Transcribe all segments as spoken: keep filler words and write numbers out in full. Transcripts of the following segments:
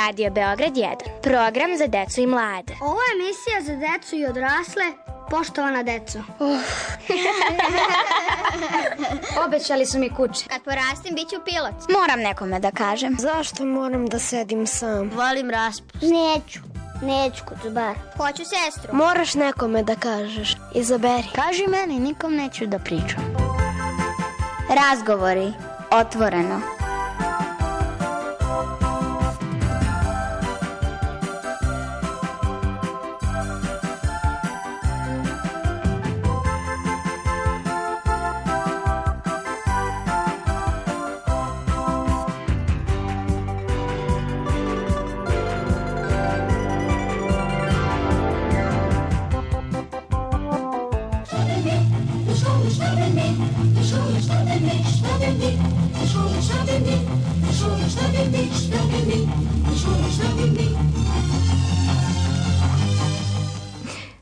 Radio Beograd jedan. Program za decu i mlade. Ovo je emisija za decu i odrasle. Poštovana deco. Uh. Obećali su mi kuće. Kad porastim, bit ću pilot. Moram nekome da kažem. Zašto moram da sedim sam? Volim raspust. Neću. Neću kucubar. Hoću sestru. Moraš nekome da kažeš. Izaberi. Kaži meni, nikom neću da pričam. Razgovori. Otvoreno.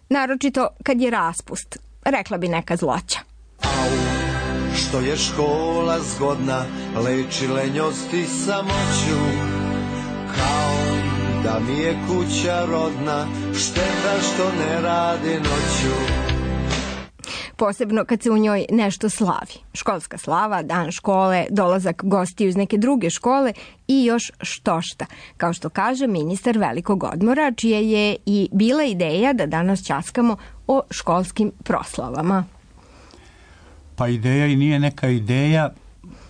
Naročito kad je raspust, rekla bi neka zloća. Au, što je škola zgodna, leči lenjost i samoću, kao da mi je kuća rodna, šteta što ne radi noću. Posebno kad se u njoj nešto slavi. Školska slava, dan škole, dolazak gostiju iz neke druge škole i još štošta. Kao što kaže ministar velikog odmora, čija je i bila ideja da danas ćaskamo o školskim proslavama. Pa ideja i nije neka ideja,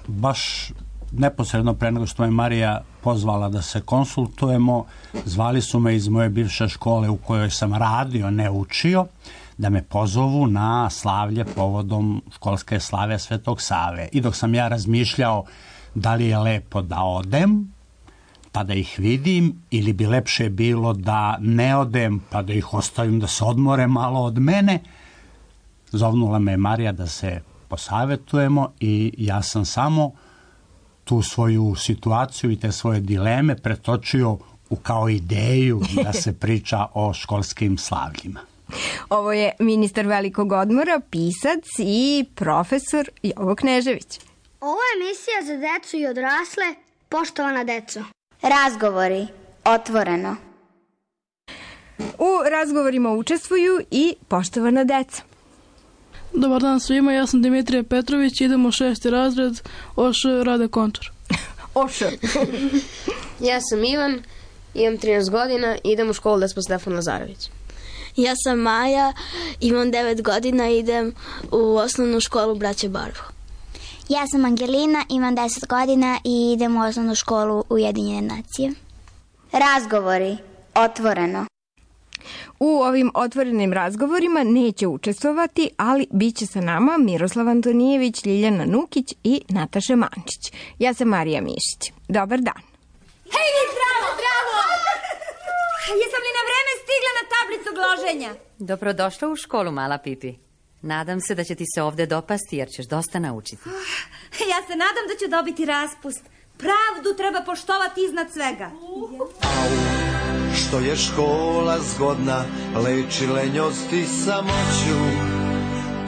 baš neposredno pre nego što me Marija pozvala da se konsultujemo, zvali su me iz moje bivše škole u kojoj sam radio, ne učio, da me pozovu na slavlje povodom školske slave Svetog Save. I dok sam ja razmišljao da li je lepo da odem, pa da ih vidim, ili bi lepše bilo da ne odem, pa da ih ostavim da se odmore malo od mene, zovnula me Marija da se posavetujemo i ja sam samo tu svoju situaciju i te svoje dileme pretočio u kao ideju da se priča o školskim slavljima. Ovo je ministar velikog odmora, pisac i profesor Jovo Knežević. Ovo je emisija za decu i odrasle. Poštovana deco. Razgovori. Otvoreno. U razgovorima učestvuju i poštovana deca. Dobar dan svima, ja sam Dimitrija Petrović, idem u šesti razred, Oš Rade Končar. Oš. Ja sam Ivan, imam trinaest godina i idem u školu Despot Stefan Lazarević. Ja sam Maja, imam devet godina i idem u osnovnu školu Braće Barvo. Ja sam Angelina, imam deset godina i idem u osnovnu školu Ujedinjene nacije. Razgovori. Otvoreno. U ovim otvorenim razgovorima neće učestvovati, ali bit će sa nama Miroslav Antonijević, Ljiljana Nukić i Nataša Mančić. Ja sam Marija Mišić. Dobar dan. Hej, vi zdravo, zdravo! Jesam li na vreme stigla na tablicu gloženja? Dobrodošla u školu, mala Pipi. Nadam se da će ti se ovde dopasti, jer ćeš dosta naučiti. Ja se nadam da ću dobiti raspust. Pravdu treba poštovati iznad svega. Au, što je škola zgodna, leči lenjost i samoću,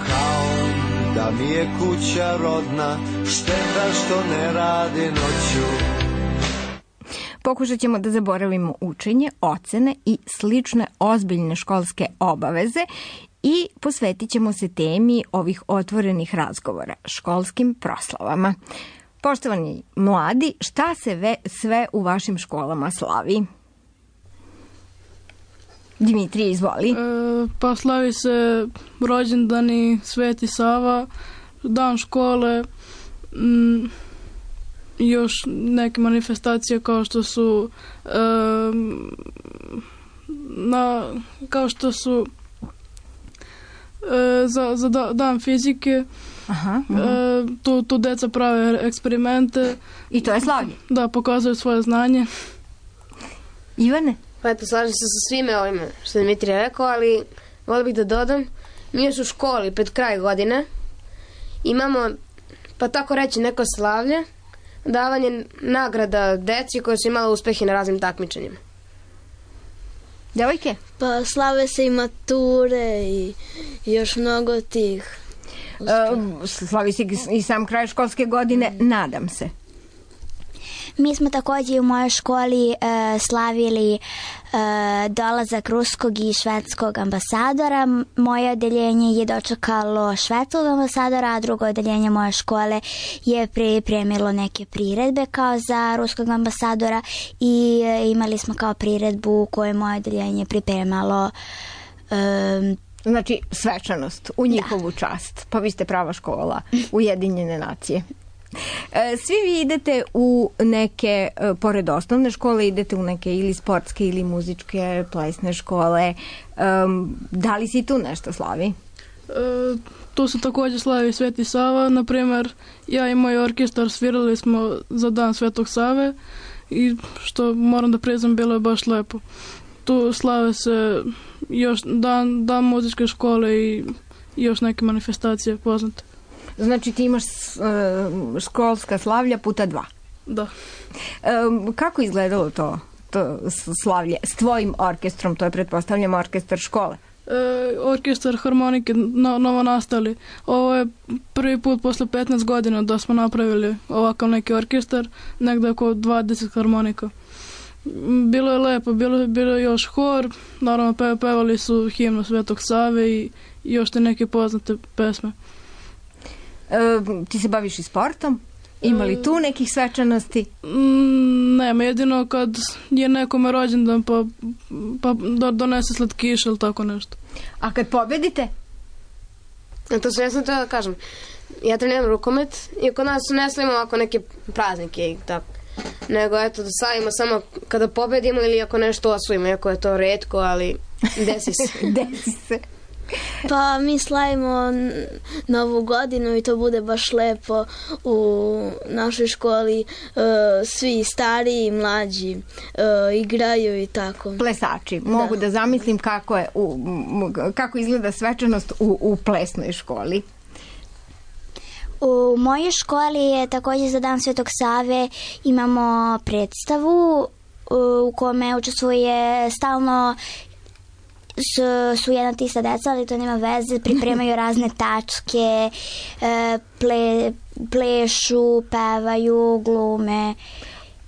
kao da mi je kuća rodna, šteta što ne radi noću. Pokušat ćemo da zaboravimo učenje, ocene i slične ozbiljne školske obaveze i posvetit ćemo se temi ovih otvorenih razgovora, školskim proslavama. Poštovani mladi, šta se ve, sve u vašim školama slavi? Dimitrije, izvoli. E, pa slavi se rođendani Sveti Sava, dan škole, m, još neke manifestacije kao što su e, na, kao što su e, za, za dan fizike. Aha, aha. E, tu, tu deca prave eksperimente. I to je slavlje? Da, pokazuju svoje znanje. Ivane? Pa eto, slažem se sa svime ovime što je Dimitrije rekao, ali volim bih da dodam, mi još u školi pred kraj godine imamo, pa tako reći, neko slavlje, davanje nagrada deci koje su imala uspehe na raznim takmičenjima. Devojke? Pa slave se i mature i još mnogo tih. Uh, slavi se i sam kraj školske godine, nadam se. Mi smo takođe u mojoj školi e, slavili e, dolazak ruskog i švedskog ambasadora. Moje odeljenje je dočekalo švedskog ambasadora, a drugo odeljenje moje škole je pripremilo neke priredbe kao za ruskog ambasadora i e, imali smo kao priredbu koju moje odeljenje pripremalo. E, Znači, svečanost u njihovu da. čast. Pa vi ste prava škola, Ujedinjene nacije. Svi vi idete u neke, pored osnovne škole, idete u neke ili sportske ili muzičke, plesne škole. Da li si tu nešto slavi? E, tu se također slavi Sveti Sava. Naprimer, ja i moj orkestar svirali smo za dan Svetog Save i što moram da priznam, bilo je baš lepo. Tu slave se još dan, dan muzičke škole i još neke manifestacije poznate. Znači ti imaš uh, školska slavlja puta dva. Da. Um, kako izgledalo to, to slavlje s tvojim orkestrom? To je, pretpostavljam, orkestar škole. E, orkestar harmonike no, novo nastali. Ovo je prvi put posle petnaest godina da smo napravili ovakav neki orkestar, negde oko dvadeset harmonika. Bilo je lepo, bilo, bilo je još hor, naravno pe, pevali su himnu Svetog Save i, i još te neke poznate pesme. E, ti se baviš i sportom? Ima li tu nekih svečanosti? Mm, nema, jedino kad je nekome rođendan pa, pa donese slatkiš ili tako nešto. A kad pobedite? To se ne sam to da kažem. Ja treniram rukomet i kod nas ne slavimo ovako neke praznike i tako. Nego eto da slavimo samo kada pobedimo ili ako nešto osvojimo, iako je to retko, ali desi se. Desi se. Pa mi slavimo Novu godinu i to bude baš lepo u našoj školi. Svi stariji i mlađi igraju i tako. Plesači. Mogu da, da zamislim kako je u, kako izgleda svečanost u, u plesnoj školi. U mojoj školi je također za dan Svetog Save imamo predstavu u kome učestvuje stalno su, su jedna tista deca, ali to nema veze, pripremaju razne tačke, ple, plešu, pevaju, glume.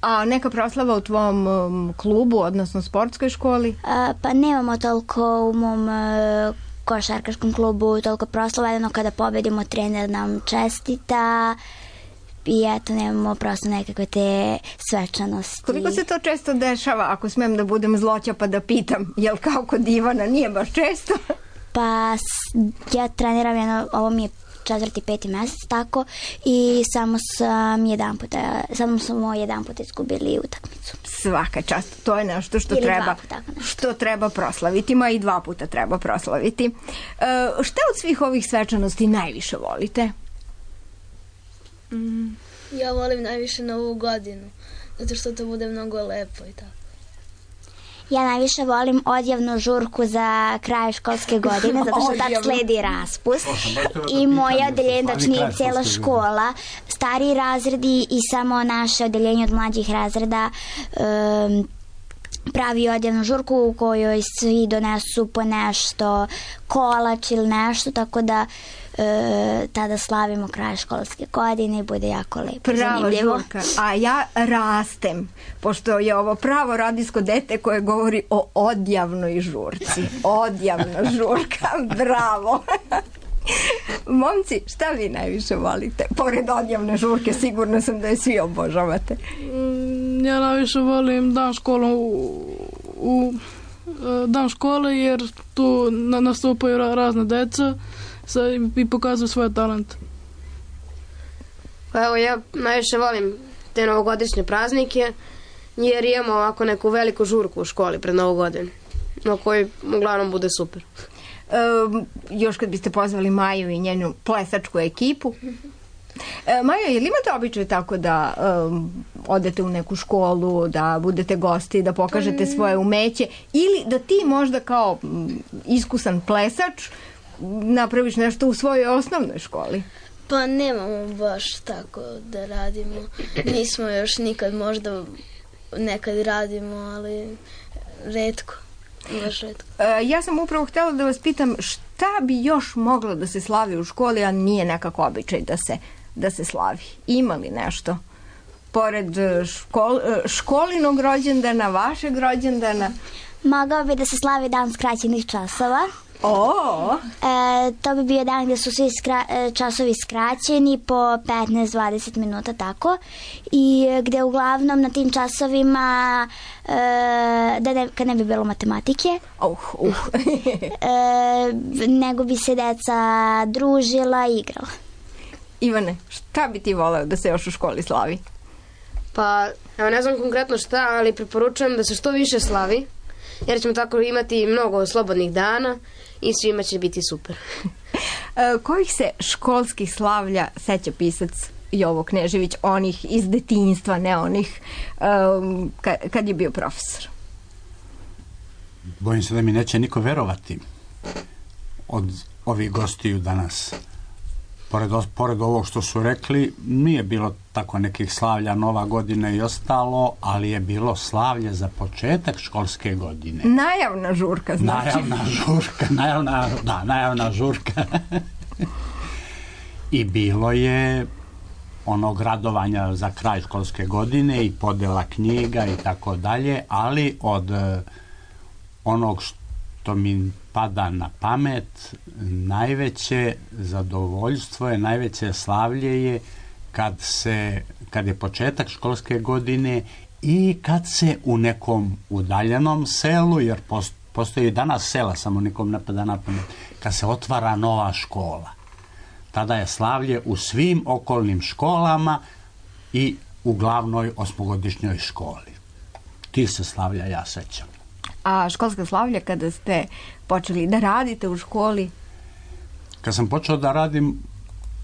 A neka proslava u tvom um, klubu, odnosno sportskoj školi? A, pa nemamo toliko u mom uh, košarkaškom klubu, toliko proslava, jedno kada pobedimo trener nam čestita i eto, nemamo prosto nekakve te svečanosti. Koliko se to često dešava, ako smem da budem zloća pa da pitam, jel kao kod Ivana nije baš često? Pa ja treniram jedno, ovo mi je četvrti, peti mesec, tako, i samo sam jedan puta, samo smo jedan puta izgubili utakmicu. Svaka čast, to je nešto što Ili treba, puta, što treba proslaviti, ma i dva puta treba proslaviti. E, šta od svih ovih svečanosti najviše volite? Mm. Ja volim najviše Novu godinu, zato što to bude mnogo lepo i tako. Ja najviše volim odjavnu žurku za kraj školske godine, zato što tad sledi raspust. I moje odeljenje, znači nije cijela škola, stariji razredi i samo naše odeljenje od mlađih razreda um, pravi odjavnu žurku u kojoj svi donesu po nešto, kolač ili nešto, tako da e, tada slavimo kraj školske godine i bude jako lepo. Prava zanimljivo. Žurka, a ja rastem, pošto je ovo pravo radijsko dete koje govori o odjavnoj žurci. Odjavna žurka, bravo. Momci, šta vi najviše volite? Pored odjavne žurke, sigurno sam da je svi obožavate. Ja najviše volim dan škole u, u dan škole jer tu nastupaju razne deca i pokazuju svoje talente. Pa evo, ja najviše volim te novogodišnje praznike jer imamo ovako neku veliku žurku u školi pred Novu godinu, na kojoj uglavnom bude super. Um, još kad biste pozvali Maju i njenu plesačku ekipu. E, Majo, je li imate običaj tako da um, odete u neku školu, da budete gosti, da pokažete svoje umeće ili da ti možda kao um, iskusan plesač napraviš nešto u svojoj osnovnoj školi? Pa nemamo baš tako da radimo. Nismo još nikad, možda nekad radimo, ali retko. Baš retko. E, ja sam upravo htjela da vas pitam šta bi još moglo da se slavi u školi, a nije nekako običaj da se, da se slavi. Ima li nešto? pored škol, školinog rođendana, vašeg rođendana? Mogao bi da se slavi dan skraćenih časova. O! E, to bi bio dan gde su svi skra, časovi skraćeni po petnaest do dvadeset minuta, tako. I gde uglavnom na tim časovima, e, da ne, kad ne bi bilo matematike, uh, uh. e, nego bi se deca družila i igrala. Ivane, šta bi ti voleo da se još u školi slavi? Pa, evo ne znam konkretno šta, ali preporučujem da se što više slavi, jer ćemo tako imati mnogo slobodnih dana i svima će biti super. E, kojih se školskih slavlja seća pisac Jovo Knežević, onih iz detinjstva, ne onih um, kad, kad je bio profesor? Bojim se da mi neće niko verovati od ovih gostiju danas. Pored, pored ovog što su rekli, nije bilo tako nekih slavlja, Nova godina i ostalo, ali je bilo slavlje za početak školske godine. Najavna žurka, znači. Najavna žurka, najavna, da, najavna žurka. I bilo je onog radovanja za kraj školske godine i podela knjiga i tako dalje, ali od onog što mi pada na pamet, najveće zadovoljstvo je, najveće slavlje je kad se, kad je početak školske godine i kad se u nekom udaljenom selu, jer postoji danas sela, samo nikom ne pada na pamet, kad se otvara nova škola. Tada je slavlje u svim okolnim školama i u glavnoj osmogodišnjoj školi. Tih se slavlja ja sećam. A školska slavlja kada ste počeli da radite u školi? Kad sam počeo da radim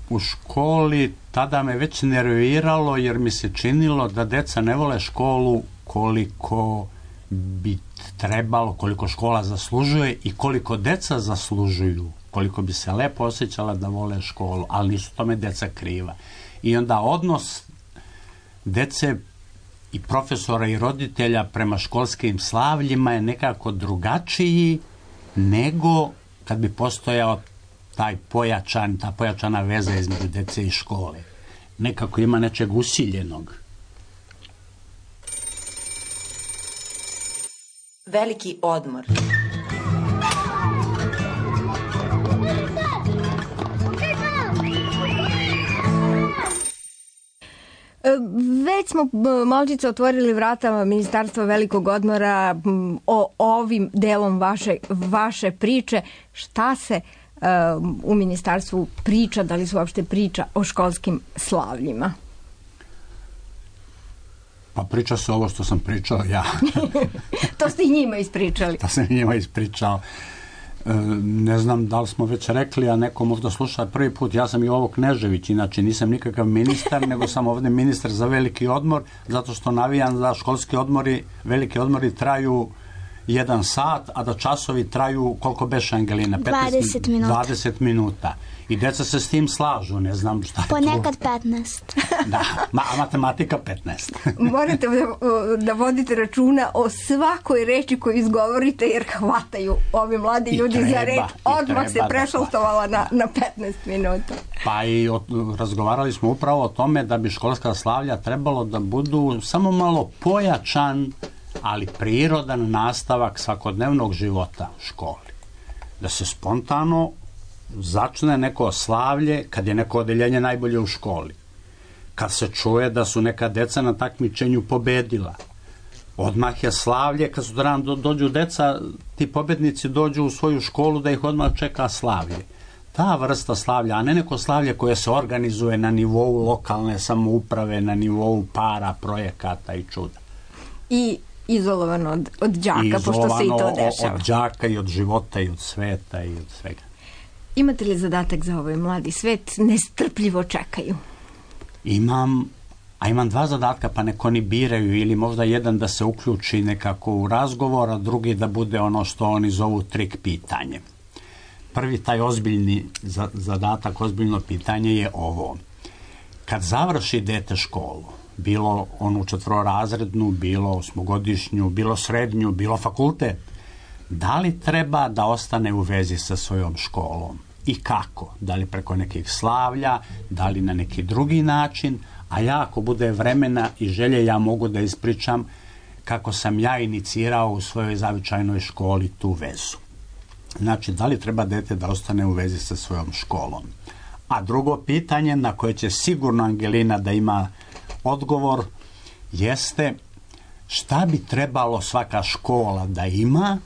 u školi, tada me već nerviralo jer mi se činilo da deca ne vole školu koliko bi trebalo, koliko škola zaslužuje i koliko deca zaslužuju, koliko bi se lepo osjećala da vole školu, ali nisu tome deca kriva. I onda odnos dece i profesora i roditelja prema školskim slavljima je nekako drugačiji nego kad bi postojao taj pojačan, ta pojačana veza između dece i škole. Nekako ima nečeg usiljenog. Veliki odmor. Već smo malčice otvorili vrata Ministarstva velikog odmora o ovim delom vaše, vaše priče. Šta se uh, u ministarstvu priča, da li se uopšte priča o školskim slavljima? Pa priča se ovo što sam pričao ja. To ste i njima ispričali. To sam i njima ispričao. Ne znam da li smo već rekli, a neko možda sluša prvi put, ja sam Jovo Knežević, inače nisam nikakav ministar, nego sam ovde ministar za veliki odmor, zato što navijam da školski odmori, veliki odmori traju jedan sat, a da časovi traju, koliko beše, Angelina? dvadeset minuta. dvadeset minuta. I deca se s tim slažu, ne znam šta je to. Ponekad petnaest. Da, ma, matematika petnaest. Morate da, da vodite računa o svakoj reči koju izgovorite, jer hvataju ovi mladi ljudi treba, za reč. Odmah se prešaltovala na, na petnaest minuta. Pa i od, razgovarali smo upravo o tome da bi školska slavlja trebalo da budu samo malo pojačan, ali prirodan nastavak svakodnevnog života u školi. Da se spontano začne neko slavlje kad je neko odeljenje najbolje u školi. Kad se čuje da su neka deca na takmičenju pobedila. Odmah je slavlje, kad su do, dođu deca, ti pobednici dođu u svoju školu da ih odmah čeka slavlje. Ta vrsta slavlja, a ne neko slavlje koje se organizuje na nivou lokalne samouprave, na nivou para, projekata i čuda. I izolovano od, od đaka, pošto se i to dešava. Od đaka i od života i od sveta i od svega. Imate li zadatak za ovaj mladi svet? Nestrpljivo čekaju. Imam, a imam dva zadatka, pa neko oni biraju, ili možda jedan da se uključi nekako u razgovor, a drugi da bude ono što oni zovu trik pitanje. Prvi taj ozbiljni zadatak, ozbiljno pitanje je ovo. Kad završi dete školu, bilo onu četvororazrednu, bilo osmogodišnju, bilo srednju, bilo fakultet, da li treba da ostane u vezi sa svojom školom i kako? Da li preko nekih slavlja, da li na neki drugi način, A ja, ako bude vremena i želje, ja mogu da ispričam kako sam ja inicirao u svojoj zavičajnoj školi tu vezu. Znači, da li treba dete da ostane u vezi sa svojom školom? A drugo pitanje na koje će sigurno Angelina da ima odgovor jeste šta bi trebalo svaka škola da ima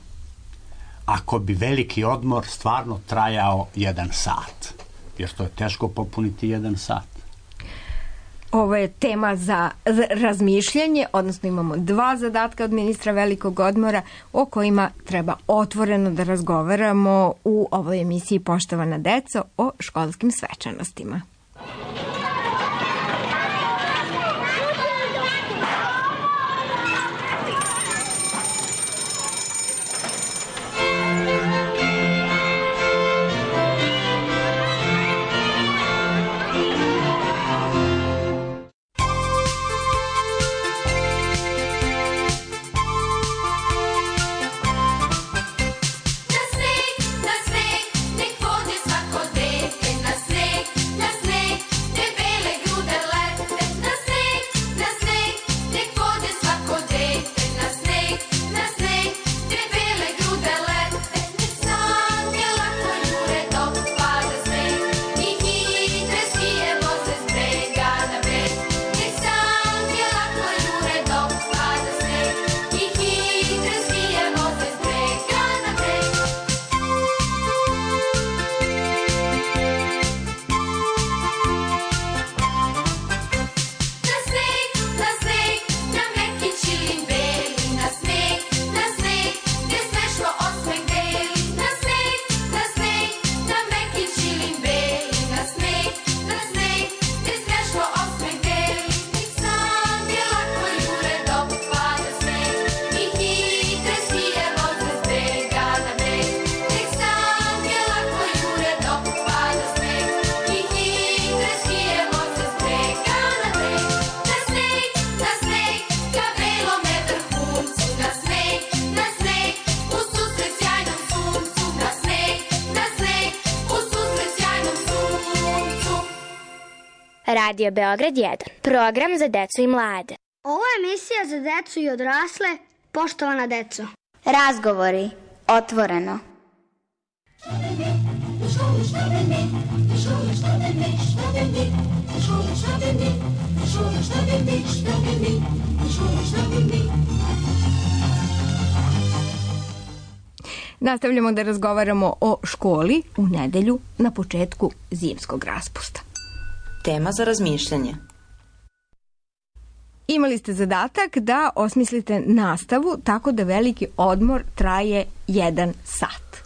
ako bi veliki odmor stvarno trajao jedan sat? Jer to je teško popuniti jedan sat. Ovo je tema za razmišljanje, odnosno imamo dva zadatka od ministra velikog odmora o kojima treba otvoreno da razgovaramo u ovoj emisiji Poštovana deco o školskim svečanostima. Radio Beograd jedan. Program za decu i mlade. Ovo je emisija za decu i odrasle. Poštovana deco. Razgovori. Otvoreno. Nastavljamo da razgovaramo o školi u nedelju na početku zimskog raspusta. Tema za razmišljanje. Imali ste zadatak da osmislite nastavu tako da veliki odmor traje jedan sat.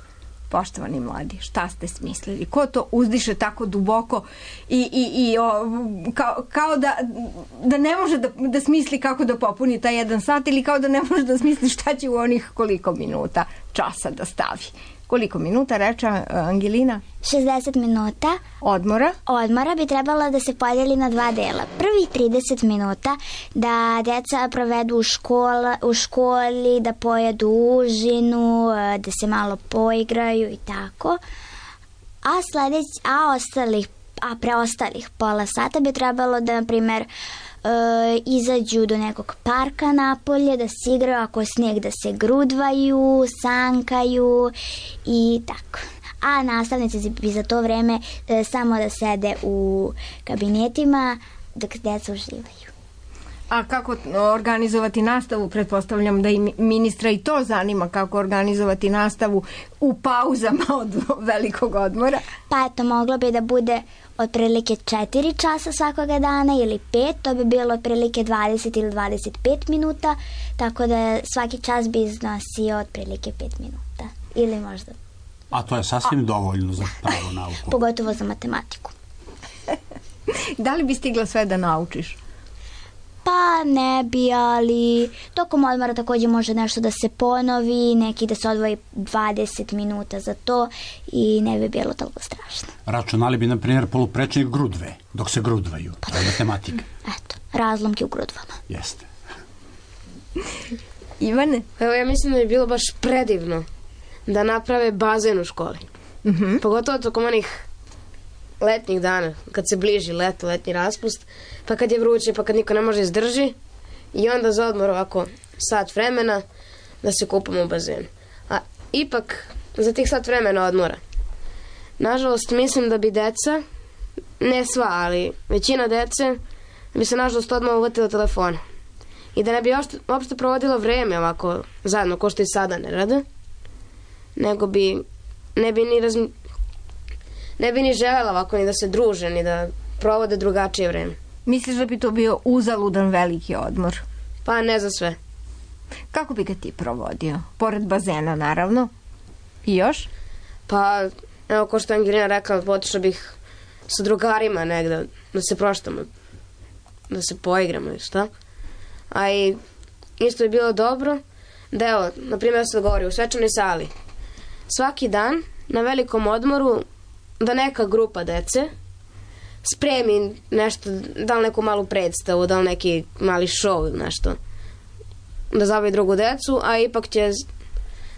Poštovani mladi, šta ste smislili? Ko to uzdiše tako duboko i, i, i o, kao, kao da, da ne može da, da smisli kako da popuni taj jedan sat ili kao da ne može da smisli šta će u onih koliko minuta časa da stavi? Koliko minuta, reče Angelina? šezdeset minuta. Odmora? Odmora bi trebalo da se podijeli na dva dela. Prvih trideset minuta da deca provedu u, škola, u školi, da pojedu užinu, da se malo poigraju i tako. A, sledeć, a, ostalih, a preostalih pola sata bi trebalo da, na primjer, E, izađu do nekog parka napolje, da se igraju, ako je snijeg, da se grudvaju, sankaju i tako. A nastavnici bi za to vreme e, samo da sede u kabinetima dok deca uživaju. A kako organizovati nastavu? Pretpostavljam da i ministra i to zanima, kako organizovati nastavu u pauzama od velikog odmora. Pa eto, moglo bi da bude otprilike četiri časa svakoga dana ili pet, to bi bilo otprilike dvadeset ili dvadeset pet minuta, tako da svaki čas bi iznosio otprilike pet minuta ili možda. A to je sasvim A. dovoljno za pravu nauku. Pogotovo za matematiku. Da li bi stigla sve da naučiš? Pa ne bi, ali tokom odmora također može nešto da se ponovi, neki da se odvoji dvadeset minuta za to i ne bi bilo toliko strašno. Računali bi, na primjer, poluprečnik grudve, dok se grudvaju. Pa to je matematika. Eto, razlomke u grudvama. Jeste. Ivane? Evo, ja mislim da bi bilo baš predivno da naprave bazen u školi. Mm-hmm. Pogotovo tokom onih letnjih dana, kad se bliži leto, letnji raspust, pa kad je vruće, pa kad niko ne može izdrži, i onda za odmor ovako sat vremena da se kupamo u bazenu. A ipak za tih sat vremena odmora, nažalost, mislim da bi deca, ne sva, ali većina dece, bi se nažalost odmah uvatila telefona. I da ne bi uopšte, uopšte provodila vreme ovako zajedno, ko što i sada ne rade, nego bi, ne bi ni razmi... ne bi ni želela ovako ni da se druže, ni da provode drugačije vreme. Misliš da bi to bio uzaludan veliki odmor? Pa ne za sve. Kako bi ga ti provodio? Pored bazena, naravno. I još? Pa, evo, ko što Angelina rekla, otišla bih sa drugarima negde, da se proštamo, da se poigramo ili šta. A i isto je bilo dobro da, evo, na primjer se govori u svečanoj sali. Svaki dan, na velikom odmoru, da neka grupa dece spremi nešto, da li neku malu predstavu, da li neki mali show ili nešto, da zabavi drugu decu, a ipak će,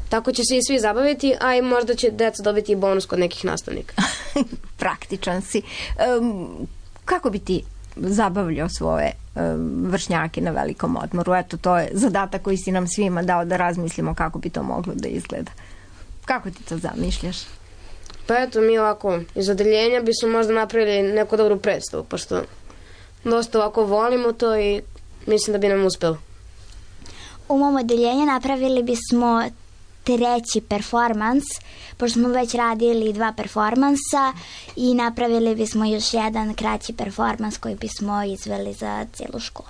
tako će se i svi zabaviti, a i možda će deca dobiti i bonus kod nekih nastavnika. Praktičan si. Um, kako bi ti zabavljao svoje um, vršnjake na velikom odmoru? Eto, to je zadatak koji si nam svima dao da razmislimo kako bi to moglo da izgleda. Kako ti to zamišljaš? Pa eto, mi ovako, iz odeljenja bismo možda napravili neku dobru predstavu, pošto dosta ovako volimo to i mislim da bi nam uspelo. U mom odeljenju napravili bismo treći performans, pošto smo već radili dva performansa i napravili bismo još jedan kraći performans koji bismo izveli za cijelu školu.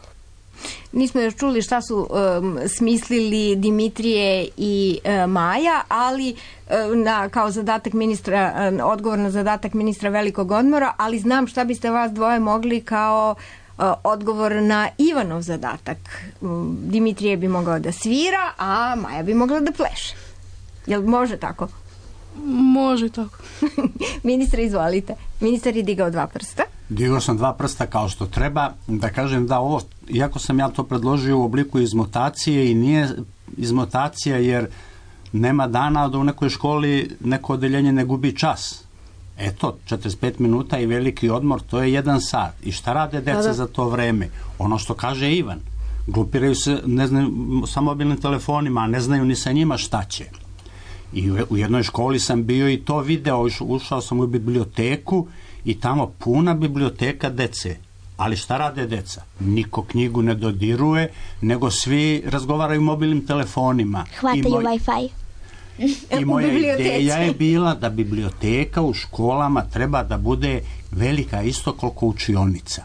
Nismo još čuli šta su um, smislili Dimitrije i uh, Maja, ali uh, na, kao zadatak ministra, uh, odgovor na zadatak ministra velikog odmora, ali znam šta biste vas dvoje mogli kao uh, odgovor na Ivanov zadatak. Um, Dimitrije bi mogao da svira, a Maja bi mogla da pleše. Jel može tako? Može tako. Ministre, izvolite. Ministar je digao dva prsta. Digao sam dva prsta kao što treba. Da kažem da ovo, iako sam ja to predložio u obliku izmotacije, i nije izmotacija jer nema dana da u nekoj školi neko odeljenje ne gubi čas. Eto, četrdeset pet minuta i veliki odmor, to je jedan sat. I šta rade deca za to vreme? Ono što kaže Ivan. Glupiraju se, ne znaju, sa mobilnim telefonima, a ne znaju ni sa njima šta će. I u jednoj školi sam bio i to video, ušao sam u biblioteku i tamo puna biblioteka dece. Ali šta rade deca? Niko knjigu ne dodiruje, nego svi razgovaraju mobilnim telefonima. Hvataju moj... Wi-Fi. I moja ideja je bila da biblioteka u školama treba da bude velika isto koliko učionica.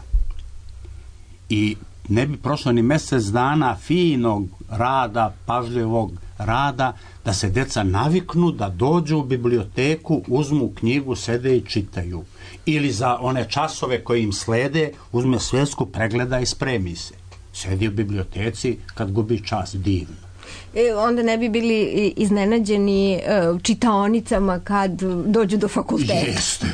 I ne bi prošlo ni mjesec dana finog rada, pažljivog rada, da se deca naviknu da dođu u biblioteku, uzmu knjigu, sede i čitaju. Ili za one časove koji im slede, uzme svesku, pregleda i spremi se. Sedi u biblioteci kad gubi čas, divno. E, onda ne bi bili iznenađeni uh, čitaonicama kad dođu do fakulteta. Jeste.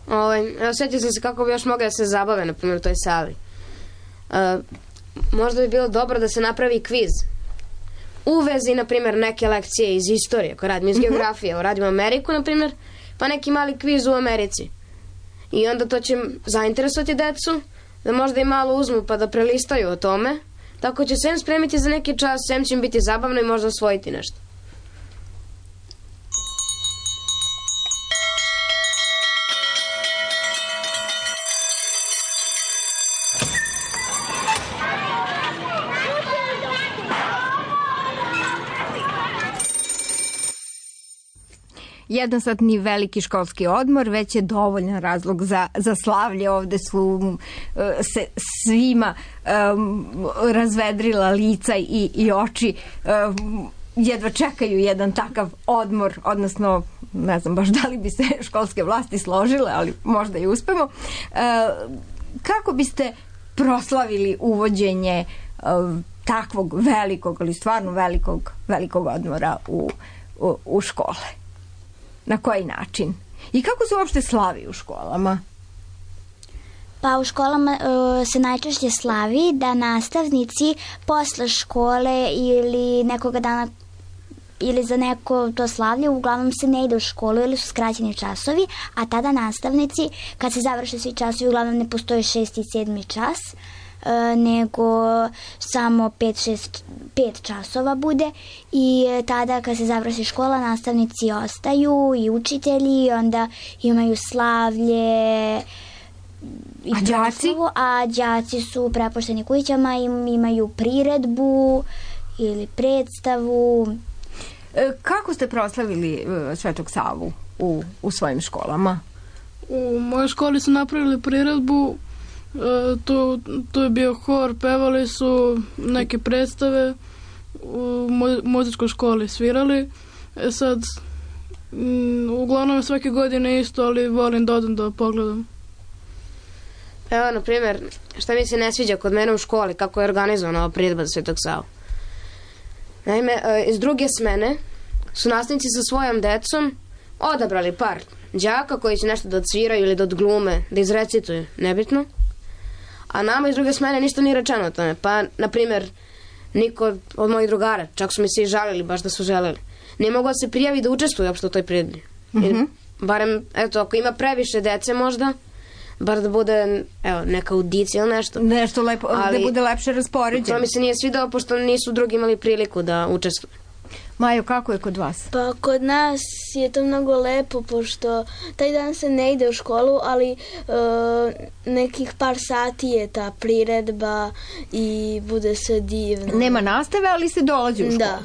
Ovaj, evo, sjetio sam se kako bi još mogli da se zabave, na primjer, u toj sali. Uh, možda bi bilo dobro da se napravi kviz. U vezi, na primjer, neke lekcije iz istorije, koje radimo iz geografije, evo, radimo Ameriku, na primjer, pa neki mali kviz u Americi. I onda to će zainteresovati decu, da možda i malo uzmu pa da prelistaju o tome, tako će sem spremiti za neki čas, sem će im biti zabavno i možda osvojiti nešto. Jednosatni veliki školski odmor već je dovoljan razlog za, za slavlje. Ovde su uh, se svima um, razvedrila lica i, i oči. Um, jedva čekaju jedan takav odmor, odnosno ne znam baš da li bi se školske vlasti složile, ali možda i uspemo. Uh, kako biste proslavili uvođenje uh, takvog velikog, ali stvarno velikog, velikog odmora u, u, u škole? Na koji način? I kako se uopšte slavi u školama? Pa u školama uh, se najčešće slavi da nastavnici posle škole ili nekoga dana ili za neko to slavlje, uglavnom se ne ide u školu ili su skraćeni časovi, a tada nastavnici, kad se završe svi časovi, uglavnom ne postoji šesti i sedmi čas, nego samo pet, šest, pet časova bude i tada kad se završi škola nastavnici ostaju i učitelji i onda imaju slavlje i a đaci? a đaci su prepušteni kućama i imaju priredbu ili predstavu. Kako ste proslavili Svetog Savu u, u svojim školama? U mojoj školi su napravili priredbu. E, to, to je bio hor, pevali su neke predstave, u muzičkoj školi svirali. E sad, m, uglavnom svake godine isto, ali volim da odem da pogledam. Evo, na primjer, šta mi se ne sviđa kod mene u školi, kako je organizovana ova priredba za Svetog Savu. Naime, e, iz druge smene su nastavnici sa svojom decom odabrali par đaka koji će nešto da odsviraju ili da odglume, da izrecituju, nebitno. A nama iz druge smene ništa nije rečeno o tome. Pa, na primjer, niko od mojih drugara, čak su mi se i žalili, baš da su želeli, nije mogao da se prijavi da učestvuje uopšte u toj priredbi. Mm-hmm. Barem, eto, ako ima previše dece možda, bar da bude, evo, neka audicija ili nešto. Nešto lepo, ali, da bude lepše raspoređeno. To mi se nije svidao, pošto nisu drugi imali priliku da učestvuju. Majo, kako je kod vas? Pa kod nas je to mnogo lepo, pošto taj dan se ne ide u školu, ali e, nekih par sati je ta priredba i bude sve divno. Nema nastave, ali se dolazi u školu. Da.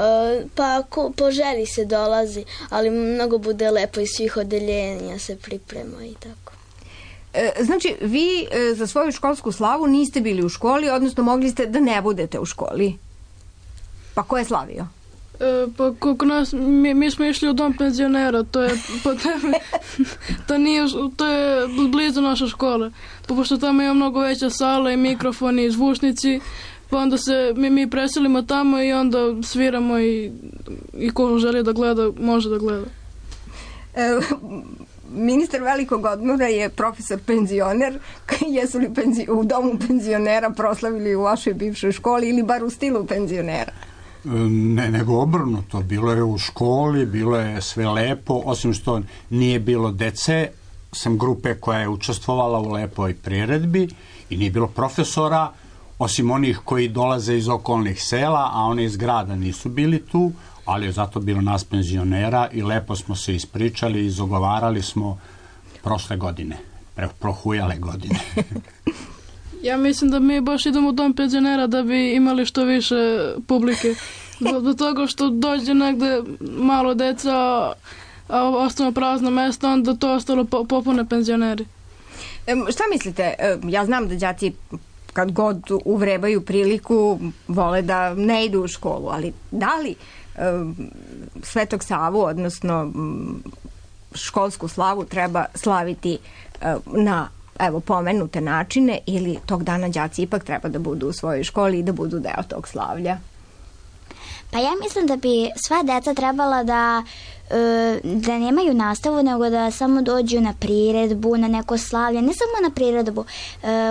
E, pa ko, po želji se dolazi, ali mnogo bude lepo iz svih odeljenja se priprema i tako. E, znači, vi e, za svoju školsku slavu niste bili u školi, odnosno mogli ste da ne budete u školi. Pa ko je slavio? E, pa kod nas, mi, mi smo išli u dom penzionera, to je po tebe, to nije, to je blizu naše škole, pa pošto tamo ima mnogo veća sala i mikrofoni i zvučnici, pa onda se mi, mi preselimo tamo i onda sviramo i, i ko želi da gleda, može da gleda. E, ministar velikog odmora je profesor penzioner. Jesu li penzi, u domu penzionera proslavili u vašoj bivšoj školi ili bar u stilu penzionera? Ne, nego obrnuto. Bilo je u školi, bilo je sve lepo, osim što nije bilo dece, sam grupe koja je učestvovala u lepoj priredbi i nije bilo profesora, osim onih koji dolaze iz okolnih sela, a oni iz grada nisu bili tu, ali je zato bilo nas penzionera i lepo smo se ispričali i izogovarali smo prošle godine, pre, prohujale godine. Ja mislim da mi baš idemo u dom penzionera da bi imali što više publike. Do, do toga što dođe negde malo deca, a ostane prazno mesto, onda to ostalo po, popune penzioneri. E, šta mislite? E, ja znam da đaci kad god uvrebaju priliku vole da ne idu u školu, ali da li e, Svetog Savu, odnosno školsku slavu treba slaviti e, na evo pomenute načine ili tog dana đaci ipak treba da budu u svojoj školi i da budu deo tog slavlja? Pa ja mislim da bi sva deca trebala da da nemaju nastavu, nego da samo dođu na priredbu, na neko slavlje, ne samo na priredbu.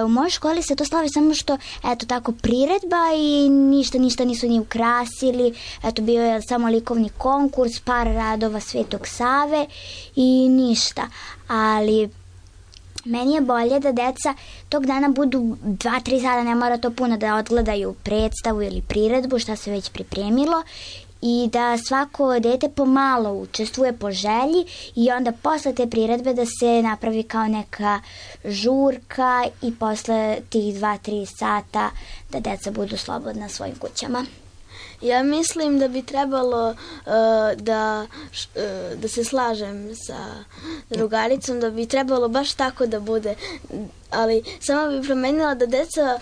U mojoj školi se to slavi samo što, eto tako, priredba i ništa, ništa nisu ni ukrasili, eto, bio je samo likovni konkurs, par radova Svetog Save i ništa. Ali meni je bolje da deca tog dana budu dva, tri sata, ne mora to puno, da odgledaju predstavu ili priredbu, šta se već pripremilo, i da svako dete pomalo učestvuje po želji i onda posle te priredbe da se napravi kao neka žurka i posle tih dva, tri sata da deca budu slobodna svojim kućama. Ja mislim da bi trebalo uh, da, uh, da se slažem sa drugaricom, da bi trebalo baš tako da bude, ali samo bi promenila da deca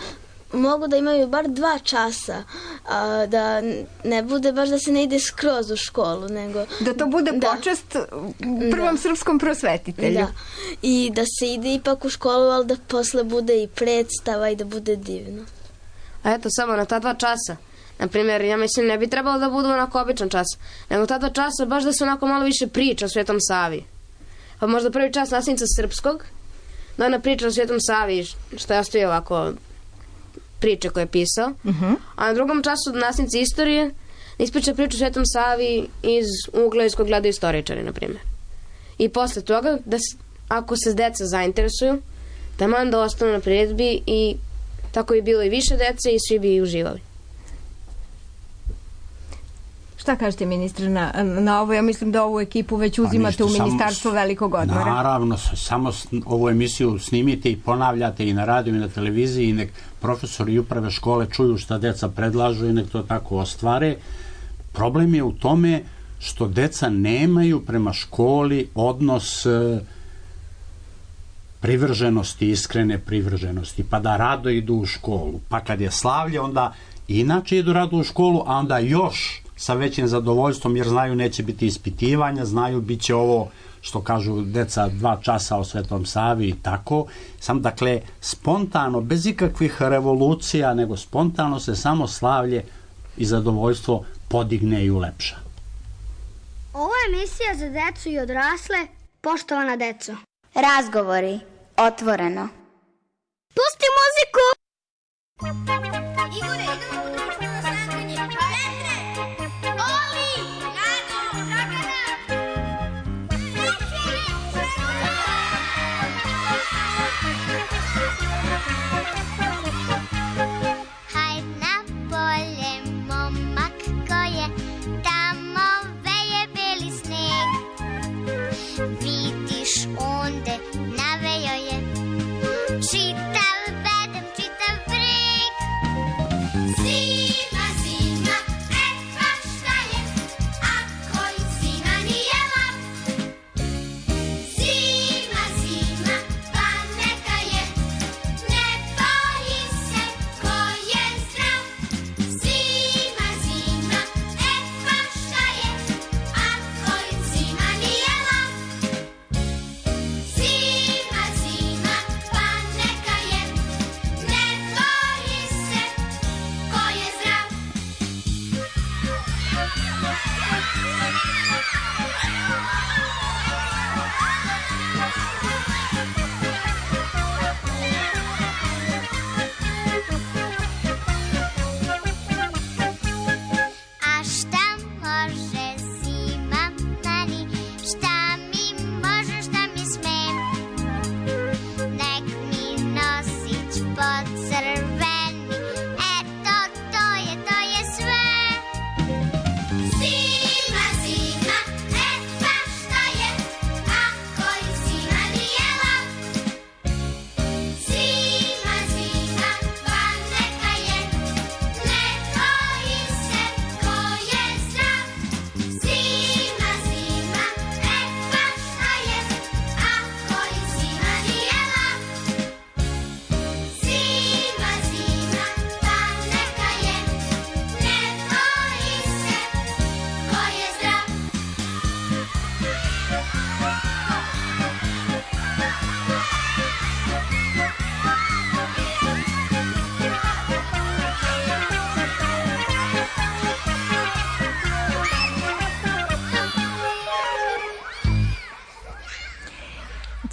mogu da imaju bar dva časa, a da ne bude baš da se ne ide skroz u školu, nego da to bude da. počast prvom da. srpskom prosvetitelju. Da. I da se ide ipak u školu, ali da posle bude i predstava i da bude divno. A eto, samo na ta dva časa. Naprimjer, ja mislim, ne bi trebalo da budu onako običan čas, nego ta dva časa baš da se onako malo više priča o Svetom Savi. Pa možda prvi čas nastavnica srpskog, da ona priča o Svetom Savi, što je ostavio ovako priče koje je pisao, uh-huh. a na drugom času nastavnici istorije da ispriča priču o Svetom Savi iz ugla iz kojeg gledaju istoričari, na primjer. I posle toga, da s, ako se deca zainteresuju, taman da ostanu na priredbi i tako bi bilo i više dece i svi bi uživali. Šta kažete, ministre, na, na ovo? Ja mislim da ovu ekipu već uzimate u Ministarstvu velikog odmora. Naravno, samo ovu emisiju snimite i ponavljate i na radiju i na televiziji i nek profesori i uprave škole čuju šta deca predlažu i nek to tako ostvare. Problem je u tome što deca nemaju prema školi odnos privrženosti, iskrene privrženosti, pa da rado idu u školu. Pa kad je slavlje, onda inače idu rado u školu, a onda još sa većim zadovoljstvom, jer znaju neće biti ispitivanja, znaju bit će ovo što kažu deca dva časa o Svetom Savi i tako. Sam, dakle, spontano, bez ikakvih revolucija, nego spontano se samo slavlje i zadovoljstvo podigne i ulepša. Ovo je emisija za decu i odrasle, poštovana deco. Razgovori, otvoreno. Pusti muziku! Igore, idemo u društveno snaganje. Petre! Oli! Rado! Dragana! Hajd na polje, momak ko je, tamo veje beli sneg. Vidiš onde navejo je čitav bedem, čitav breg. Zima, zima, e pa šta je, ako i zima nije lap. Zima, zima, pa neka je, ne boji se ko je zdrav. Zima, zima, e pa šta je, ako i zima nije lap. Zima, zima, pa neka je, ne boji se ko je zdrav. A šta može zima meni, šta mi može, šta mi sme? Nek mi nosić pocrveni, eto to je, to je sve. Zima, zima, e pa šta je, ako i zima nije lap. Zima, zima, pa neka je, ne boji se ko je zdrav. Zima, zima, e pa šta je, ako i zima nije lap. Zima, zima, pa neka je, ne boji se ko je zdrav.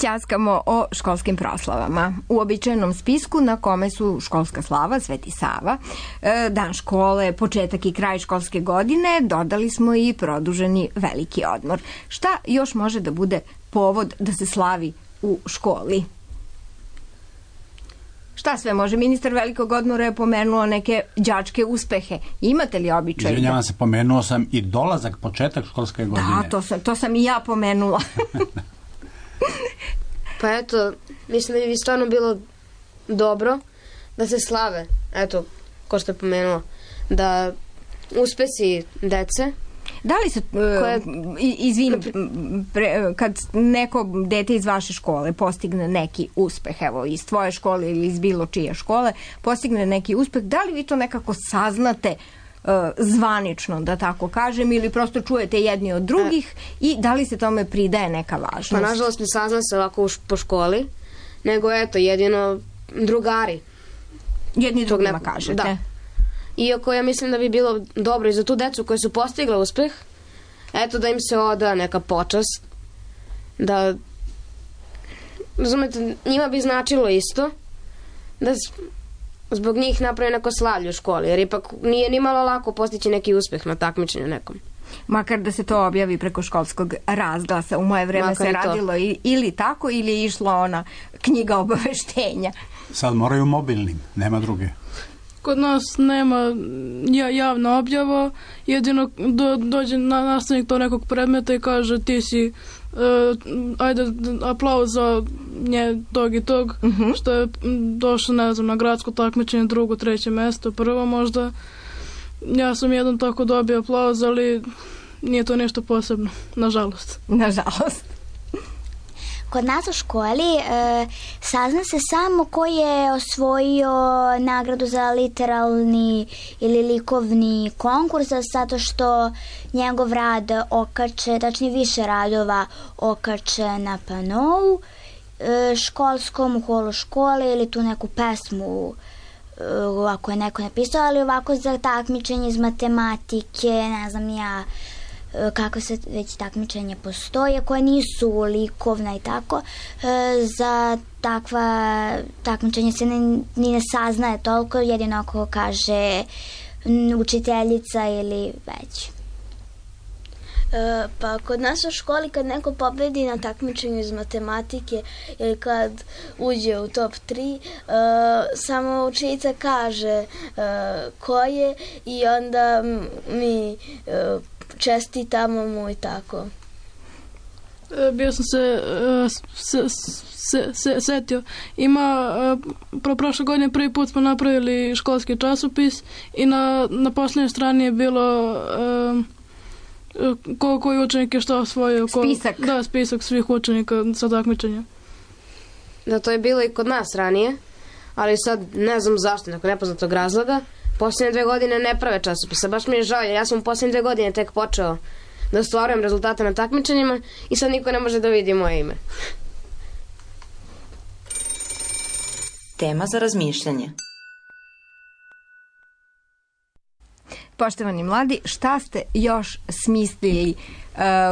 Ćaskamo o školskim proslavama. U običajnom spisku na kome su školska slava, Sveti Sava, e, dan škole, početak i kraj školske godine, dodali smo i produženi veliki odmor. Šta još može da bude povod da se slavi u školi? Šta sve može? Ministar velikog odmora je pomenuo neke đačke uspehe. Imate li običaj? Izvinjavam se, pomenuo sam i dolazak, početak školske godine. Da, to sam, to sam i ja pomenula. Pa eto, mislim da bi stvarno bilo dobro da se slave, eto, ko što je pomenuo, da uspesi dece. Da li se, koje... izvini, pre, kad neko dete iz vaše škole postigne neki uspeh, evo, iz tvoje škole ili iz bilo čije škole, postigne neki uspeh, da li vi to nekako saznate uh, zvanično, da tako kažem, ili prosto čujete jedni od drugih i da li se tome pridaje neka važnost? Pa nažalost ne sazna se ovako po školi, nego eto, jedino drugari. Jedni drugima kažete? Da. Iako ja mislim da bi bilo dobro i za tu decu koja su postigla uspeh, eto da im se oda neka počast, da, razumete, njima bi značilo isto, da zbog njih napravi neko slavlje u školi, jer ipak nije ni malo lako postići neki uspeh na takmičenju nekom. Makar da se to objavi preko školskog razglasa. U moje vreme Makar se i to. radilo i- ili tako, ili je išla ona knjiga obaveštenja. Sad moraju mobilnim, nema druge. Kod nas nema ja, javna objava, jedino do, dođe na, nastavnik to nekog predmeta i kaže ti si, uh, ajde aplauz za nje tog i tog, uh-huh. što je došlo, ne znam, na gradsko takmičenje, drugo, treće mesto, prvo možda. Ja sam jedan tako dobio aplauz, ali nije to nešto posebno, nažalost. Nažalost. Kod nas u školi e, sazna se samo ko je osvojio nagradu za literalni ili likovni konkurs, zato što njegov rad okače, tačnije više radova okače na panou e, školskom, u holu škole ili tu neku pesmu e, ako je neko napisao, ali ovako za takmičenje iz matematike, ne znam ja, kako se već takmičenja postoje, koje nisu likovna i tako, za takva takmičenja se ne, ni ne saznaje toliko, jedino ako kaže učiteljica ili već. E, pa kod nas u školi kad neko pobedi na takmičenju iz matematike ili kad uđe u top tri, e, samo učiteljica kaže e, ko je i onda mi e, čestitamo mu i tako. E, bio sam se, e, se, se, se setio. Ima, e, pro prošle godine prvi put smo napravili školski časopis i na, na posljednjoj strani je bilo e, ko, koji učenik je šta osvojio. Ko, Spisak. Da, spisak svih učenika sa takmičenja. Da, to je bilo i kod nas ranije, ali sad ne znam zašto, neko nepoznatog razloga. Posljednje dve godine ne prave časopisa, baš mi je žao, jer ja sam u posljednje dve godine tek počeo da ostvarujem rezultate na takmičenjima i sad niko ne može da vidi moje ime. Tema za razmišljanje. Poštovani mladi, šta ste još smislili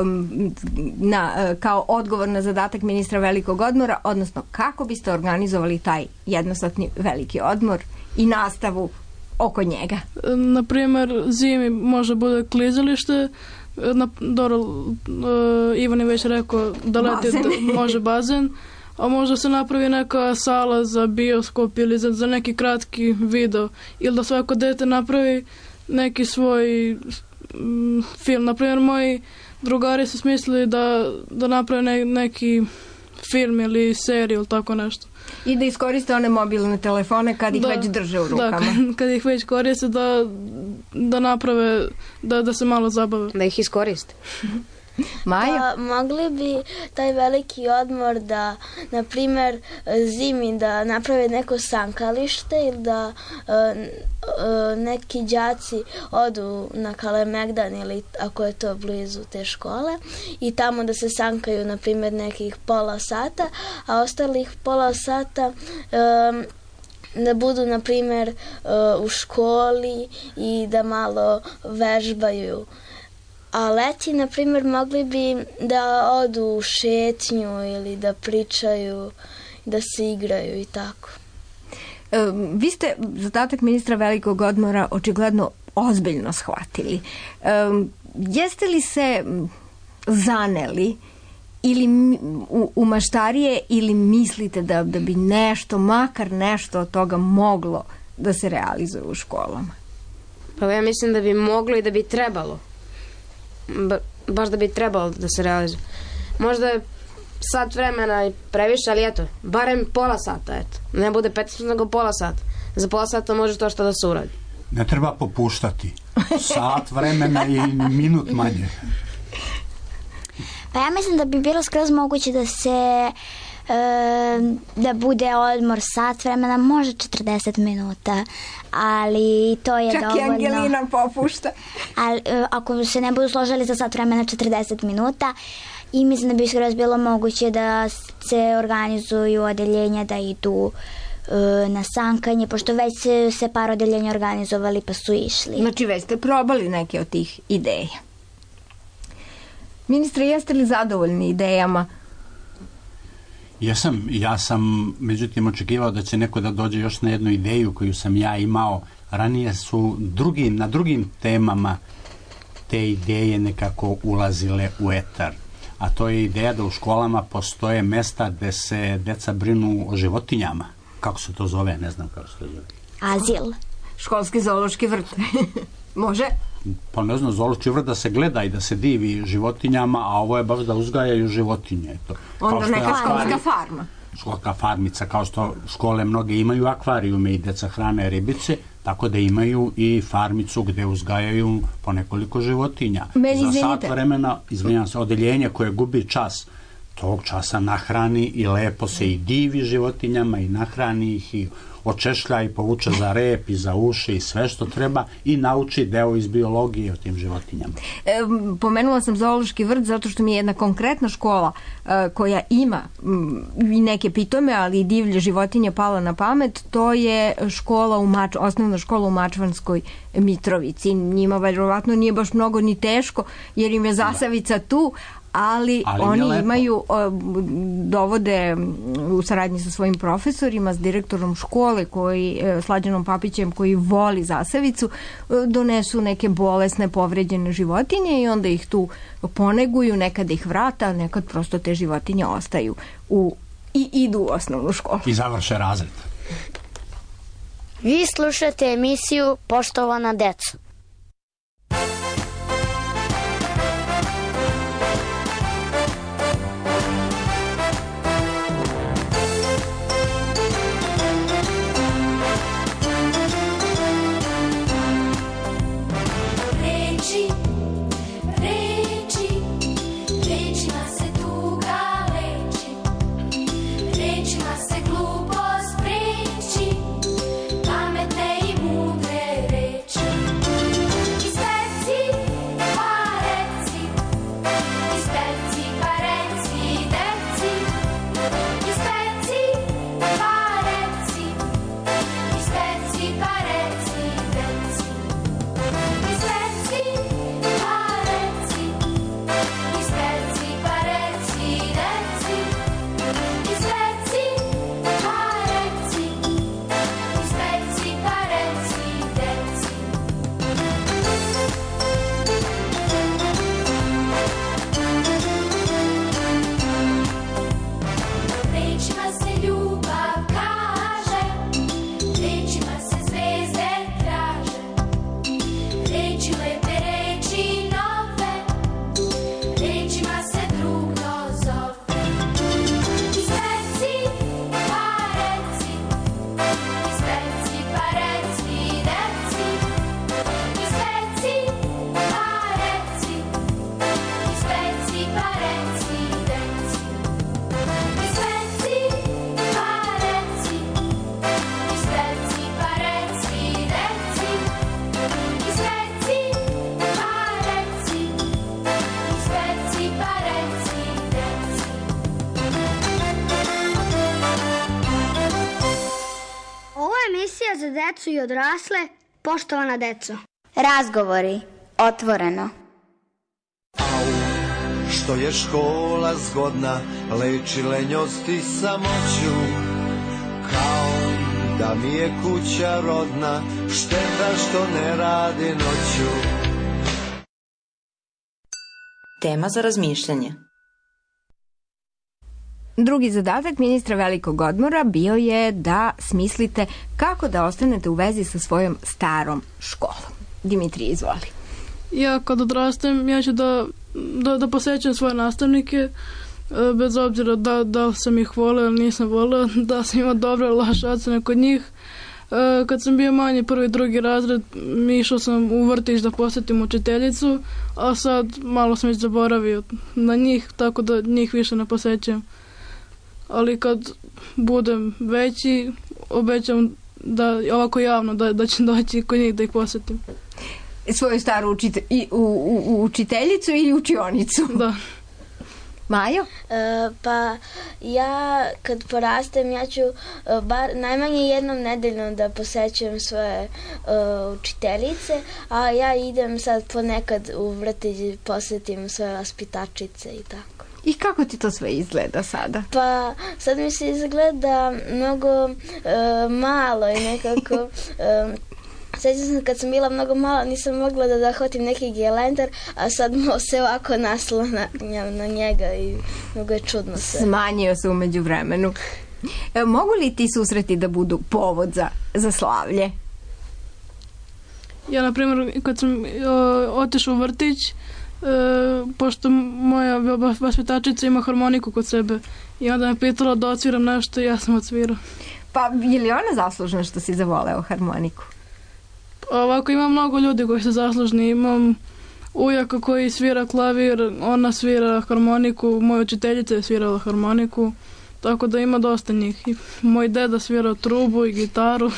um, na, kao odgovor na zadatak ministra velikog odmora, odnosno kako biste organizovali taj jednosatni veliki odmor i nastavu oko njega? Na primjer, zimi može bude klizalište, na, dobro, uh, Ivan je već rekao da leti da, može bazen, a možda se napravi neka sala za bioskop ili za, za neki kratki video, ili da svako dete napravi neki svoj mm, film. Na primjer, moji drugari su smislili da, da naprave ne, neki film ili seriju ili tako nešto. I da iskoriste one mobilne telefone kad ih da, već drže u rukama. Da, kad, kad ih već koriste da, da naprave, da, da se malo zabave. Da ih iskoriste. Maja? Pa, mogli bi taj veliki odmor da, na primjer, zimi da naprave neko sankalište ili da uh, uh, neki đaci odu na Kalemegdan ili ako je to blizu te škole i tamo da se sankaju, na primjer, nekih pola sata, a ostalih pola sata um, da budu, na primjer, uh, u školi i da malo vežbaju. A leti, na primjer, mogli bi da odu u šetnju ili da pričaju, da se igraju i tako. E, vi ste zadatak ministra velikog odmora očigledno ozbiljno shvatili. E, jeste li se zaneli ili u, u maštarije ili mislite da, da bi nešto, makar nešto od toga moglo da se realizuje u školama? Pa ja mislim da bi moglo i da bi trebalo. Ba, baš da bi trebalo da se realizuje. Možda je sat vremena i previše, ali eto, barem pola sata, eto. Ne bude petnaest minuta, nego pola sata. Za pola sata može to što da se uradi. Ne treba popuštati. Sat vremena i minut manje. Pa ja mislim da bi bilo skroz moguće da se e, da bude odmor sat vremena, može četrdeset minuta, ali to je čak dovoljno. Čak i Angelina popušta. Ali e, ako se ne budu složili za sat vremena četrdeset minuta, i mislim da bi skroz bilo moguće da se organizuju odeljenja da idu e, na sankanje, pošto već se, se par odeljenja organizovali pa su išli. Znači već ste probali neke od tih ideja. Ministre, jeste li zadovoljni idejama? Jesam, ja sam međutim očekivao da će neko da dođe još na jednu ideju koju sam ja imao. Ranije su drugi, na drugim temama te ideje nekako ulazile u etar. A to je ideja da u školama postoje mesta gde se deca brinu o životinjama. Kako se to zove? Ne znam kako se to zove. Azil. Školski zoološki vrt. Može? Pa ne znam, zoološki vrt da se gleda i da se divi životinjama, a ovo je baš da uzgajaju životinje. To. Onda neka školska farma. Školska farmica, kao što škole mnoge imaju akvarijume i deca hrane ribice, tako da imaju i farmicu gde uzgajaju po nekoliko životinja. Meni, za sat vremena, izvinjam se, odeljenje koje gubi čas, tog časa nahrani i lepo se i divi životinjama i nahrani ih i očešlja i povuče za rep i za uši i sve što treba i nauči deo iz biologije o tim životinjama. E, pomenula sam zoološki vrt zato što mi je jedna konkretna škola e, koja ima m, i neke pitome, ali i divlje životinje pala na pamet. To je škola u Mač, osnovna škola u Mačvanskoj Mitrovici. Njima verovatno nije baš mnogo ni teško jer im je zasavica tu, ali, ali oni imaju, dovode u saradnji sa svojim profesorima, s direktorom škole, koji, Slađanom Papićem, koji voli zasavicu, donesu neke bolesne, povređene životinje i onda ih tu poneguju, nekad ih vrata, nekad prosto te životinje ostaju u, i idu u osnovnu školu. I završe razred. Vi slušate emisiju Poštovana deco. Za decu i odrasle, poštovana deco. Razgovori, otvoreno. Au, što je škola zgodna, leči lenjost i samoću, kao da mi je kuća rodna, šteta što ne radi noću. Tema za razmišljanje. Drugi zadatak ministra velikog odmora bio je da smislite kako da ostanete u vezi sa svojom starom školom. Dimitrije, izvoli. Ja kad odrastem, ja ću da, da, da posećam svoje nastavnike, bez obzira da, da sam ih voleo ili nisam voleo, da sam imao dobre ili loše ocene kod njih. Kad sam bio manji, prvi, drugi razred, išao sam u vrtić da posjetim učiteljicu, a sad malo sam već zaboravio na njih, tako da njih više ne posećam. Ali kad budem veći, obećam da ovako javno da, da ću doći kod njih da ih posjetim. Svoju staru učite, i, u, u, učiteljicu ili učionicu? Da. Majo? E, pa ja kad porastem ja ću e, bar najmanje jednom nedeljno da posećujem svoje e, učiteljice, a ja idem sad ponekad u vrtić, posjetim svoje vaspitačice i tako. I kako ti to sve izgleda sada? Pa sad mi se izgleda mnogo e, malo i nekako... E, Sjećam se kad sam bila mnogo mala, nisam mogla da zahvatim neki gelendar, a sad se ovako naslanjam na njega i mnogo je čudno sve. Smanjio se umeđu vremenu. E, mogu li ti susreti da budu povod za, za slavlje? Ja, na primjer, kad sam otišao u vrtić, e, pošto moja vaspitačica ima harmoniku kod sebe i onda me pitala da odsviram nešto i ja sam odsvirao. Pa je li ona zaslužna što si zavoleo harmoniku? Ovako ima mnogo ljudi koji su zaslužni. Imam ujaka koji svira klavir, ona svira harmoniku, moja učiteljica je svirala harmoniku, tako da ima dosta njih. I moj deda svira trubu i gitaru.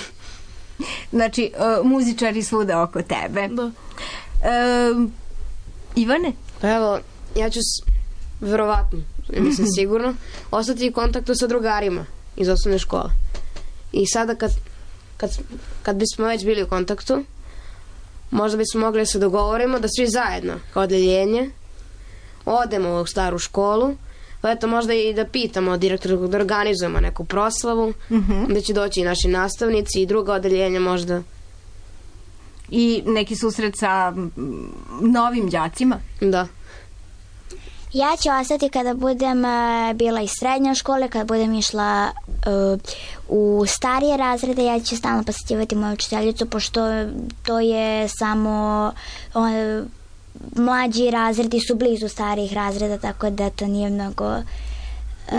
Znači, uh, muzičari svuda oko tebe. Da. Uh, Ivane? Pa evo, ja ću s, verovatno, mislim sigurno, ostati u kontaktu sa drugarima iz osnovne škole. I sada kad Kad, kad bismo već bili u kontaktu, možda bismo mogli da se dogovorimo da svi zajedno, kao odeljenje, odemo u staru školu, pa eto možda i da pitamo direktora da organizujemo neku proslavu, mm-hmm. da će doći i naši nastavnici i druga odeljenja možda. I neki susret sa novim đacima? Da. Ja ću ostati kada budem uh, bila iz srednje škole, kada budem išla uh, u starije razrede, ja ću stalno posjećivati moju učiteljicu, pošto to je samo uh, mlađi razredi su blizu starijih razreda, tako da to nije mnogo uh,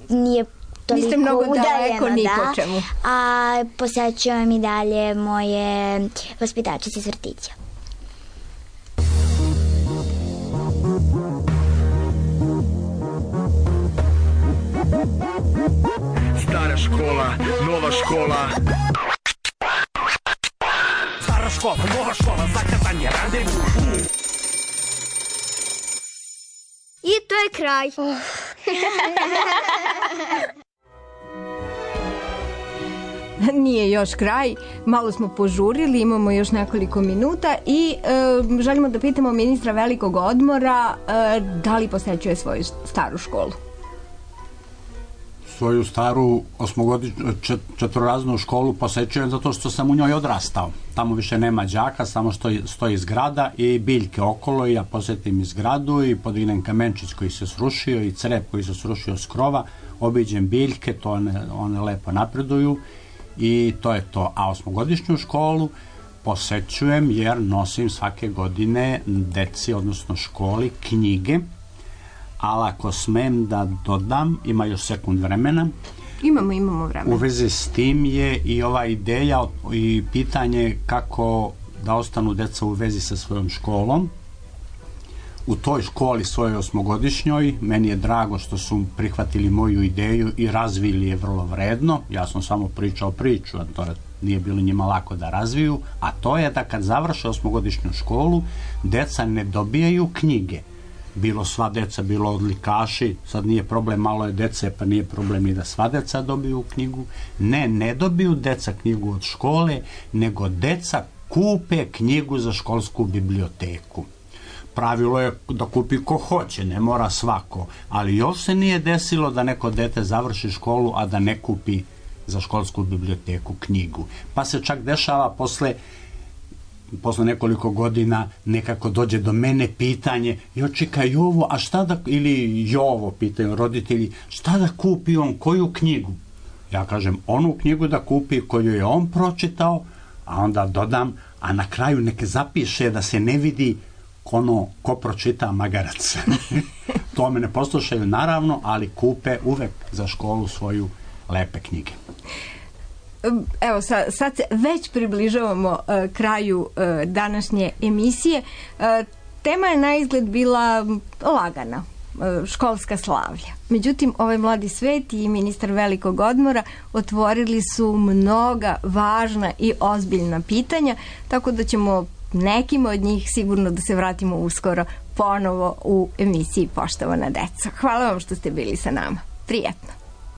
nije toliko niste mnogo daleko ni da, po čemu. A posjećujem i dalje moje vaspitačice iz vrtića. Stara škola, nova škola. Stara škola, nova škola, zakazan je randevu. I to je kraj. Oh. Nije još kraj, malo smo požurili, imamo još nekoliko minuta i e, želimo da pitamo ministra velikog odmora e, da li posećuje svoju staru školu. Svoju staru osmogodišnju čet, četvoraznu školu posećujem zato što sam u njoj odrastao. Tamo više nema đaka, samo stoji, stoji zgrada i biljke okolo i ja posjetim i zgradu i podignem kamenčić koji se srušio i crep koji se srušio s krova, obiđem biljke, to one, one lepo napreduju i to je to. A osmogodišnju školu posećujem jer nosim svake godine deci, odnosno školi, knjige. Ali ako smem da dodam, ima još sekund vremena. Imamo, imamo vremena. U vezi s tim je i ova ideja i pitanje kako da ostanu deca u vezi sa svojom školom. U toj školi svojoj osmogodišnjoj, meni je drago što su prihvatili moju ideju i razvili je vrlo vredno. Ja sam samo pričao priču, a to nije bilo njima lako da razviju. A to je da kad završe osmogodišnju školu, deca ne dobijaju knjige. Bilo sva deca, bilo odlikaši, sad nije problem, malo je dece, pa nije problem ni da sva deca dobiju knjigu. Ne, ne dobiju deca knjigu od škole, nego deca kupe knjigu za školsku biblioteku. Pravilo je da kupi ko hoće, ne mora svako, ali još se nije desilo da neko dete završi školu, a da ne kupi za školsku biblioteku knjigu. Pa se čak dešava posle posle nekoliko godina nekako dođe do mene pitanje, jo čeka Jovo, a šta da, ili Jovo pitaju roditelji, šta da kupi on, koju knjigu? Ja kažem, onu knjigu da kupi koju je on pročitao, a onda dodam, a na kraju neke zapiše da se ne vidi ono ko pročita magarac. To me ne poslušaju naravno, ali kupe uvek za školu svoju lepe knjige. Evo, sad, sad se već približavamo uh, kraju uh, današnje emisije. Uh, tema je na izgled bila lagana, uh, školska slavlja. Međutim, ovaj mladi svet i ministar velikog odmora otvorili su mnoga važna i ozbiljna pitanja, tako da ćemo nekim od njih sigurno da se vratimo uskoro ponovo u emisiji Poštovana deco. Hvala vam što ste bili sa nama. Prijetno.